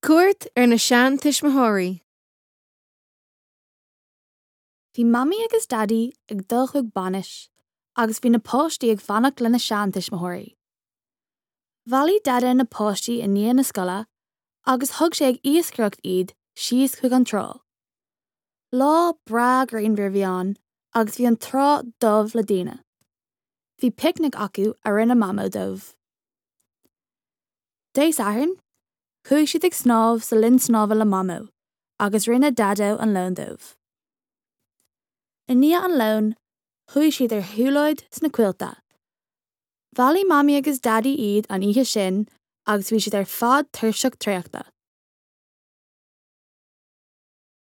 Cuairt ar na seantuismitheoirí. Bhí Mamaí agus Daidí ag dul chuig bainis agus bhí na páistí ag fanacht lena seantuismitheoirí. Bhailigh Daideo na páistí i ndiaidh na scoile agus thug sé ag iascaireacht iad síos chuig an trá. Lá breá grianmhar a bhí ann agus bhí an trá dubh le daoine. Bhí picnic acu a rinne Mamó dóibh. Dé Sathairn, chuaigh siad ag snámh sa linn snámha le Mamó agus rinne Daideo an lón dóibh. I ndiaidh an lóin, chuaigh siad ar shiúlóid sna coillte. Bhailigh Mamaí agus Daidí iad an oíche sin agus bhí siad ar fad tuirseach traochta.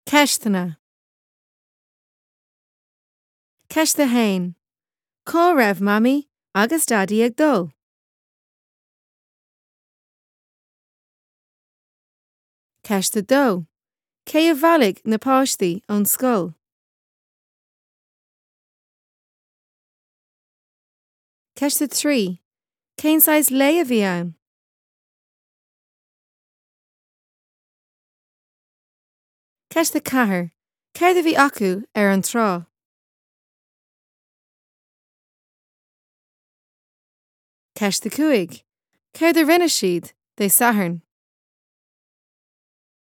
Ceisteanna. Ceist 1. Cá raibh Mamaí agus Daidí ag dul? Ceist 2. Cé a bhailigh na páistí ón scoil? Ceist 3. Cén saghas lae a bhí ann? Ceist 4. Céard a bhí acu ar an trá? Ceist 5. Céard a rinne siad Dé Sathairn?